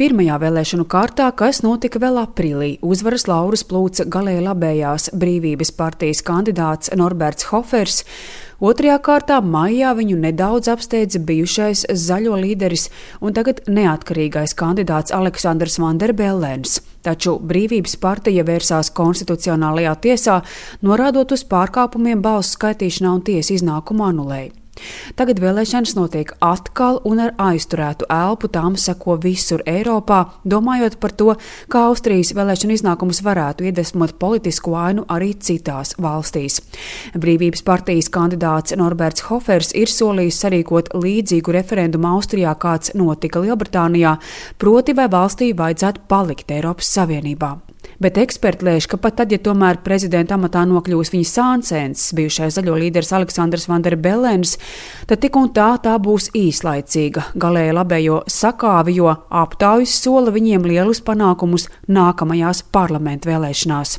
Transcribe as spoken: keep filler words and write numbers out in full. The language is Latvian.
Pirmajā vēlēšanu kārtā, kas notika vēl aprīlī, uzvaras laurus plūca galēji labējās Brīvības partijas kandidāts Norberts Hofers. Otrajā kārtā maijā viņu nedaudz apsteidza bijušais zaļo līderis un tagad neatkarīgais kandidāts Aleksandrs Vanderbellens. Taču Brīvības partija vērsās konstitucionālajā tiesā, norādot uz pārkāpumiem balsu skaitīšanā un tiesa iznākumu anulēja. Tagad vēlēšanas notiek atkal un ar aizturētu elpu tām seko visur Eiropā, domājot par to, kā Austrijas vēlēšanu iznākumus varētu iedvesmot politisku ainu arī citās valstīs. Brīvības partijas kandidāts Norberts Hofers ir solījis sarīkot līdzīgu referendumu Austrijā, kāds notika Lielbritānijā, proti vai valstī vajadzētu palikt Eiropas Savienībā. Bet eksperti lēš, ka pat tad, ja tomēr prezidenta amatā nokļūs viņa sāncens, bijušais zaļo līderis Aleksandrs Vanderbellens, tad tik un tā tā būs īslaicīga galēji labējo sakāvi, jo aptaujas sola viņiem lielus panākumus nākamajās parlamentu vēlēšanās.